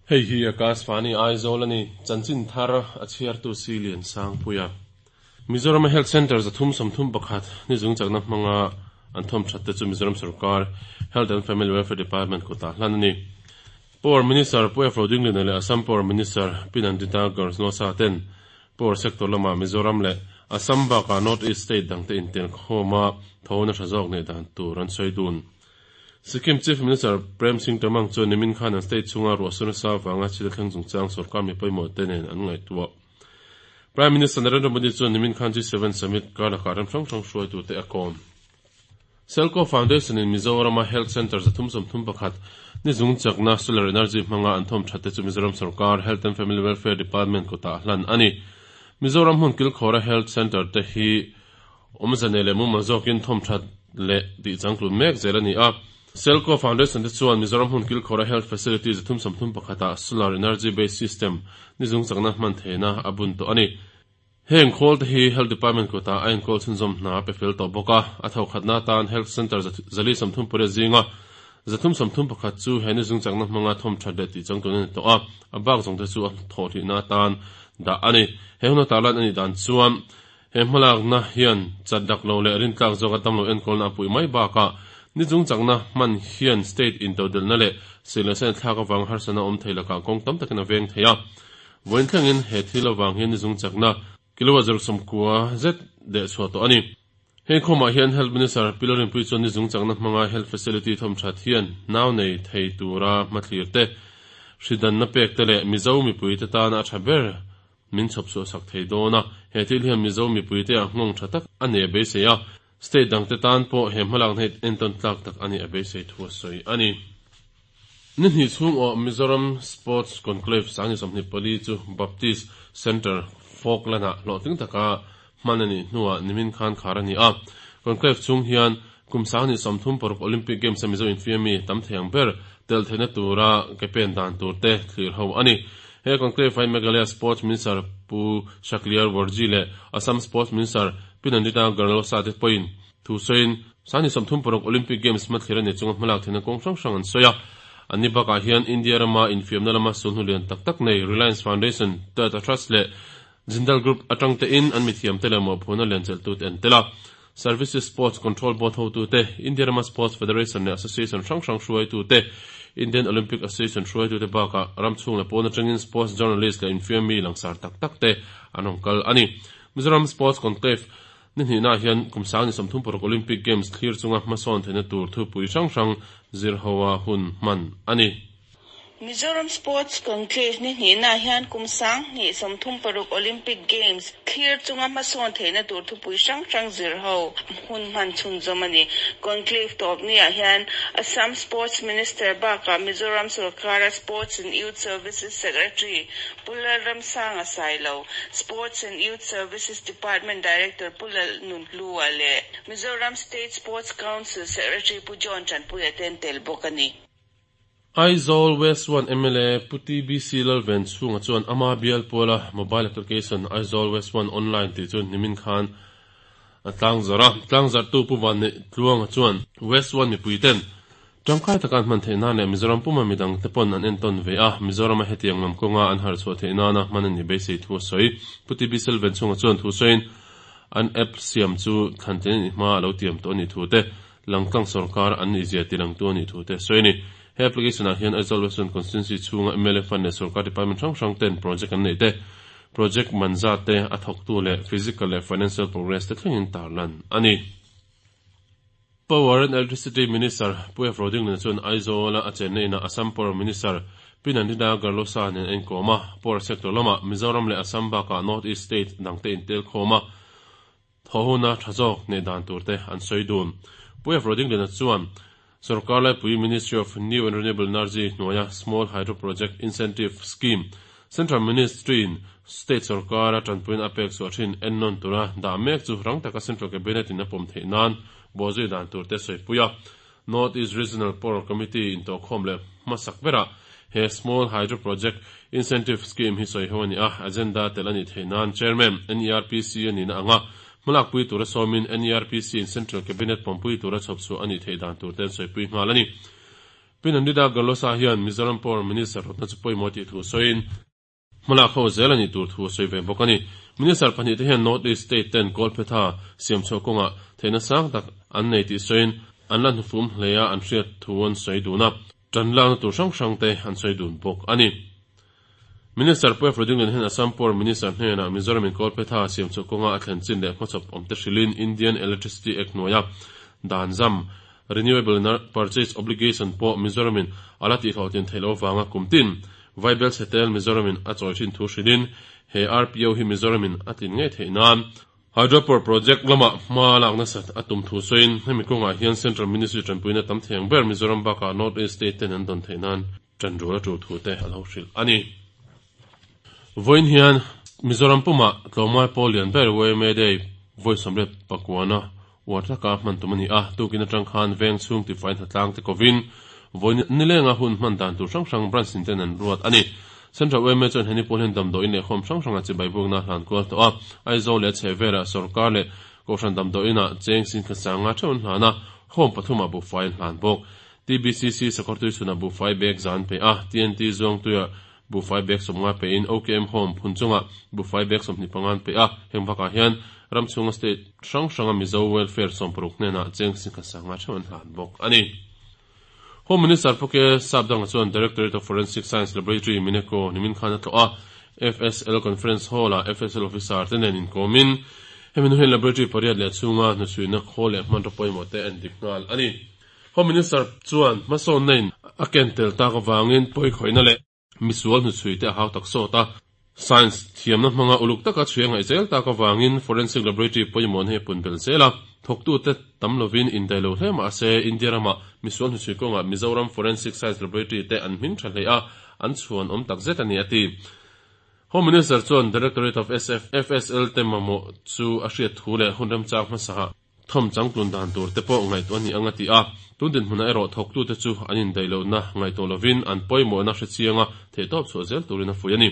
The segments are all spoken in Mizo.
Hei hi Akashvani Aizawl a ni, chanchin thar a chhiartu si Lian Sangpuia. Mizoram a Health Centre 331 ni zung chakna hmanga an thawm that te chu Mizoram Sorkar Health and Family Welfare Department kutah hlan a ni. Power Minister Pu F. Rodingliana leh Assam Power Minister Pi Nandita Garnosa ten Power Sector lamah Mizoram leh Assam bakah North East State dangte intel khawma tho nasa zawk neih dan tur an sawi dun. Sikkim Chief Minister Prem Singh Tamang chuan nimin khan an state chhunga ruahsur nasa avanga thil a thleng chungchang sorkar mi pawimawh te nen an ngaihtuah. Prime Minister Narendra Modi chuan nimin khan G7 Summit kar lakah ram hrang hrang hruaitute a kawm. Selco Foundation in Mizorama Health Centre 331 ni zung chakna solar energy hmanga an thawm that te chu Mizoram Sorkar Health and Family Welfare Department kutah hlan a ni. Mizoram hmun kilkhawra Health Centre te hi awmze nei leh mumal zawkin thawm that leh tih changtlun mek zel a ni a. Selco Foundation te chuan Mizoram hmun kilkhawra Health Facility 331 ah solar energy based system ni zung chakna hman theihna a bun tawh a ni. Heng khawl te hi Health Department kutah a enkawl chhunzawm hna a pe fel tawh bawk a, a tho khatna atan Health Centre 438 zinga 331 chu he ni zung chakna hmanga thawm that leh tih changtlun a ni tawh a, a bak zawng te chu a thawhhlihna atan dah a ni. He huna tarlan a nih dan chuan he hmalakna hian chat dak lo leh rintlak zawka damlo enkawlna a puih mai bakah ni chung chakna hman hian state intodelhna leh sih leh sen thlak avanga harsatna awm thei lakah kawng tam takin a veng thei a. Vawiin thlengin he thil avang hian ni chung chakna kilowatt 9 zet deh chhuah tawh a ni. Heng khawmah hian Health Minister Pi Lalrinpuii chuan ni chung chakna hmanga health facility thawm that hian nau nei thei tura hmathlir te, hridanna pek te leh Mizo mipuite tana a tha ber min chhawp chhuah sak thei dawn a, he thil hian Mizo mipuite ah nghawng tha tak a nei a beisei a, state dangte tan pawh he hmalakna hi entawn tlak tak a nih a beisei thu a sawi a ni. Ni hnih chhung awh Mizoram Sports Conclave 2024 chu Baptist Centre Falkland-ah hlawhtling taka hman a nih hnuah nimin khan khar a ni a. Conclave chhung hian kum 2036 Olympic Games-a Mizo infiammi tam thei ang ber tel theihna tura ke pen dan tur te thlir ho a ni. He conclave ah hian Meghalaya Sports Minister Pu Shakliar Warji leh Assam Sports Minister Pi Nandita Garlosa te pawhin thu sawiin 2036 Olympic Games hmathlir a ni chunga hmalak theihna kawng hrang hrang an sawi a. Anni bakah hian India rama infiamna lama sulhnu lian tak tak nei Reliance Foundation, Tata Trust leh Jindal Group atang tein an mithiamte leh mawhphurhna lianchelhtute an tel a. Services Sports Control Board hotute, India rama Sports Federation leh Association hrang hrang hruaitute, Indian Olympic Association hruaitute bakah ram chhung leh pawn atangin sports journalist leh infiammi langsar tak tak te an rawn kal a ni. Mizoram Sports Conclave ni hnihnaah hian kum 2036 Olympic Games thlir chunga hmasawn theihna tur thupui hrang hrang zir hoa hun hman a ni. Mizoram Sports Conclave ni hnihnaah hian kum 2036 Olympic Games thlir chunga hmasawn theihna tur thupui hrang hrang zir ho hun hman chhunzawm a ni. Conclave tawp niah hian Assam Sports Minister bakah Mizoram Sorkara Sports and Youth Services Secretary Pu Lalramsanga Sailo, Sports and Youth Services Department Director Pu Lalnunhlua leh Mizoram State Sports Council Secretary Pu John Tanpuia te an tel bawk a ni. Aizawl West 1 mla Pu TBC Lalven chhunga chuan ama bial puala mobile application Aizawl West 1 Online tih chu nimin khan a tlangzarh a. Tlangzarhtu Pu Vanneih Tluanga chuan West 1 mipui ten tangkai taka an hman theih nan leh Mizoram puma midang te pawn an entawn ve a, Mizorama hetiang lam kawnga an harh chhuah theih nana hman a ni beisei thu a sawi. Pu TBC Lalven chhunga chuan thu sawiin an app siam chu thlantlin a nih hma a lo tiam tawh a nih thu te, Langtlang sorkar an nih zia tilangtu a nih thu te a sawi a ni. He application ah hian Aizawl Western Constituency chhunga mla Fund leh sorkar department hrang hrang ten project an neih te, project man zat te, a thawktu leh physical leh financial progress te thlengin tarlan a ni. Power and Electricity Minister Pu F. Rodingliana chuan Aizawl-a a chenna inah Assam Power Minister Pi Nandita Garlosa nen a inkawm a, Power sector lamah Mizoram leh Assam bakah North East state dangte intelkhawm a, Thaw huna tha zawk neih dan tur te an sawi dun. Pu F. Rodingliana chuan Sorkar Laipui Ministry of New and Renewable Energy hnuaia Small Hydro Project Incentive Scheme Central Ministry in State sorkara tanpuina a pek chhuah thin ennawn tura dah mek chu rang taka Central Cabinet in a pawm theih nan bawhzui dan tur te sawi pui a. North East Regional Power Committee intawhkhawm leh hmasak berah he Small Hydro Project Incentive Scheme hi sawi ho a ni a, agenda tel a nih theih nan Chairman NERPC a nihna anga hmalakpui tura sawmin NERPC in Central Cabinet pawmpui tura chhawp chhuah a nih theih dan tur te an sawipui nghal a ni. Pi Nandita Garlosa hian Mizoram Power Minister rawtna chu pawimawh tih thu sawiin, hmalak ho zel a nih tur thu a sawi ve bawk a ni. Minister pahnihte hian North East State ten kawlphetha siam chhuah kawngah theihna sang tak an nei tih sawiin an la hnufum hle a an hriat thu an sawi dun a, tan lakna tur hrang hrang te an sawi dun bawk a ni. Minister Pu Efrodinglian hian Assam Power Minister hnenah Mizoram in kawlphetha siam chhuah kawnga a thlen chin leh hmachhawp awmte hrilhin Indian Electricity Act hnuaia dan zam Renewable Purchase Obligation pawh Mizoram in a la tihhlawhtlin theih loh avanga kum tin Vaibel chhetel Mizoram in a chawi thin thu hrilhin he RPO hi Mizoram in a tlin ngei theih nan Hydropower Project lamah hma lak nasat a tum thu sawiin hemi kawngah hian Central Ministry tanpuina tam thei ang ber Mizoram bakah North East State ten an dawn theih nan Ṭanrual a ṭul thu te a lo hrilh a ni. Vawiin hian Mizoram pumah tlawmngai pawl lian ber YMA Day vawi 29-a uar taka hman tum a ni a, tukin aṭang khan veng chhung tifai hnatlang te kovin vawiin nilenga hun hman dan tur hrang hrang branch in ten an ruat a ni. Central YMA chuan heni pawl hian damdawiin leh home hrang hranga chibai bukna hlan kual tawh a, Aizawl leh a chhehvelah sawrkar leh Kohhran damdawiinah cheng singkhat sanga ṭheuh an hlan a, home pathumah buhfai an hlan bawk. TBCC Sakawrtui chhunah buhfai bag zan pe a, TNT Zuangtuiah buhfai bag 50 pein OKM Home phun chungah buhfai bag 25 an pe a, heng bakah hian ram chhunga state hrang hranga Mizo Welfare 60 hnenah cheng singkhat sanga theuh an hlan bawk a ni. Home Minister Pu K Sapdanga chuan Directorate of Forensic Science Laboratory Mineko nimin khan a tlawh a, FSL Conference Hall-ah FSL Officer te nen inkawmin hemi hnu hian Laboratory pariat leh chhunga hnuchhuina khawl leh hmanraw pawimawh te an dik nghal a ni. Home Minister chuan hmasawnna in a ken tel tak avangin pawikhawihna leh misual hnuchhui te a hau tak sawt a. Science thiamna hmanga uluk taka chhui a ngaih zel tak avangin Forensic Laboratory pawimawhna hi a pun belh zel a. Thawktute tam lovin indaih lo hle mah se India rama misual hnuchhui kawngah Mizoram Forensic Science Laboratory te an hming tha hle a, an chhuan awm tak zet a ni a ti. Home Minister chuan Directorate of FSL te mamawh chu a hriat thu leh hun remchang hmasaah Thawm changtlun dan tur te pawh ngaihtuah a ni ang a ti a, tun dinhmunah erawh thawktute chu an indaih lohna ngaihtuah lovin an pawimawhna hrechianga theihtawp chhuah zel turin a fuih a ni.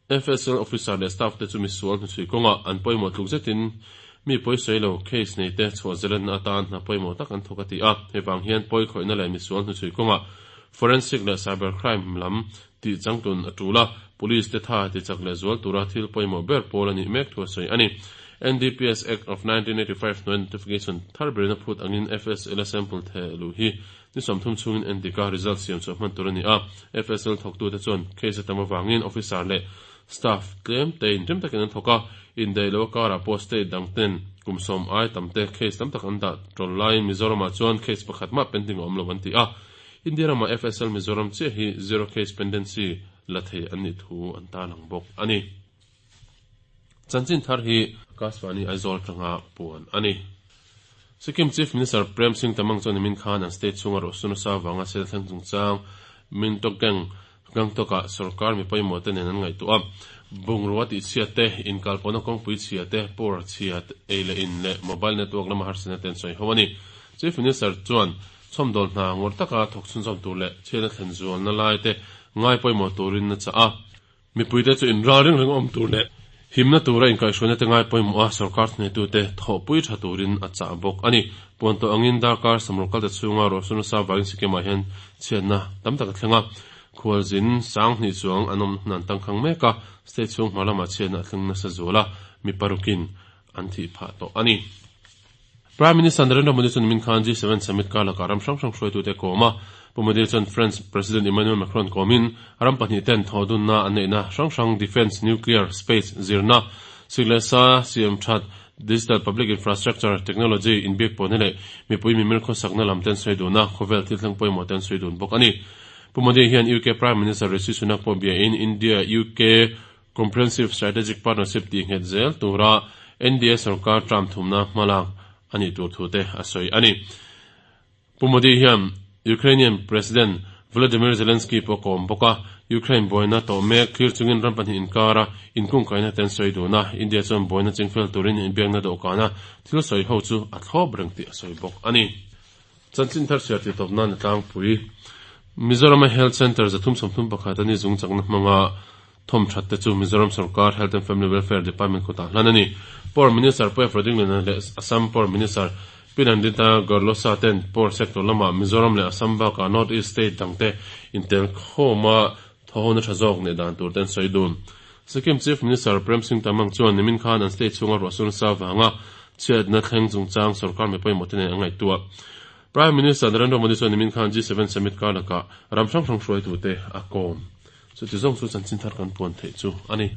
FSL officer leh staff te chu misual hnuchhui kawngah an pawimawh tluk zetin mi pawisawi lo case nei te chhuah zelenna atan hna pawimawh tak an thawk a ti a, hei vang hian pawikhawihna leh misual hnuchhui kawngah forensic leh cyber crime lam tih changtlun a tul a, Police te tha ti chak leh zual tura thil pawimawh ber pawl a nih mek thu a sawi a ni. NDPS Act of 1985 hnuai notification thar berin a phut angin FSL a sample theh luh hi ni 30 chhungin endik a result siam chhuah hman tur a ni a, FSL thawktute chuan case a tam avangin officer leh staff tlem te inrem takin an thawk a, indaih loh a karah pawh state dang ten kum sawm ai tam te case tam tak an dah tawl laiin Mizoramah chuan case pakhat mah pending a awm lo an ti a. India ramah FSL Mizoram chiah hi zero case pendency la thei an nih thu an tarlang bawk a ni. Chanchin thar hi Akashvani Aizawl atanga puan a ni. Sikkim Chief Minister Prem Singh Tamang chuan nimin khan an state chhunga ruahsur nasa avanga sel thleng chungchang Mintokgang Gangtok-ah sorkar mi pawimawh te nen an ngaihtuah a. Bungrua tihchhiat te, inkalpawhna kawngpui chhia te, power chhia ei leh in leh mobile network lama harsatna te an sawi ho a ni. Chief Minister chuan Chhawmdawl hna ngawr taka thawk chhunzawm tur leh chhiatna thlen zualna lai te ngai pawimawh turin a chah a. Mipuite chu inral ring reng awm tur leh himna tura inkaihhruaina te ngai pawimawh a, sorkar thuneitute thawhpui tha turin a chah bawk a ni. Puan tawh angin darkar samrawk kalta chhunga ruahsur nasa vangin Sikkim-ah hian chhiatna tam tak a thleng a. Khualzin 2000 chuang an awm hnan tangkhang mek a, state chhung hma lamah chhiatna a thleng nasa zual a, mi parukin an thih phah tawh a ni. Prime Minister Narendra Modi chuan nimin khan G7 Summit kar lakah ram hrang hrang hruaitute a kawm a. Pu Modi chuan French President Emmanuel Macron kawmin ram pahnih ten thawhdunna an neihna hrang hrang defence, nuclear, space, zirna, sik leh sa, siam that, digital public infrastructure, technology, inbiak pawhna leh mipui mimir khawsakna lam ten sawi dun a, khawvel thil thleng pawimawh ten sawi dun bawk a ni. Pu Modi hian UK Prime Minister Rishi Sunak pawh biain India-UK Comprehensive Strategic Partnership tih nghet zel tura NDA sorkar term thumna hmalak a nih tur thu te a sawi a ni. Pu Modi hian Ukrainian President Volodymyr Zelensky pawh a kawm bawk a, Ukraine buaina tawh mek thlir chungin ram pahnih inkara inkungkaihna te an sawi dun a, India chuan buaina chingfel turin inbiakna dawhkana thil sawi ho chu a thlawp reng tih a sawi bawk a ni. Chanchin thar chhiar tih tawp nan a tlangpui. Mizorama Health Centre 331 a ni zung chakna hmanga thawm that te chu Mizoram Sorkar Health and Family Welfare Department kutah hlan a ni. Power Minister Pu Efra Dinglena leh Assam Power Minister Pi Nandita Garlosa ten Port Sector lama Mizoram leh Assam bakah North East State dangte intel khawma thawhona tha zawk neih dan tur te an sawi dun. Sikkim Chief Minister Prem Singh Tamang chuan nimin khan an state chhunga ruahsur nasa vanga chhiatna thleng chungchang sorkar mi pawimawh te nen an ngaihtuah. Prime Minister Narendra Modi chuan nimin khan G7 Summit kar lakah ram hrang hrang hruaitute a kawm. Chuti zawng chu chanchin thar kan puan theih chu a ni.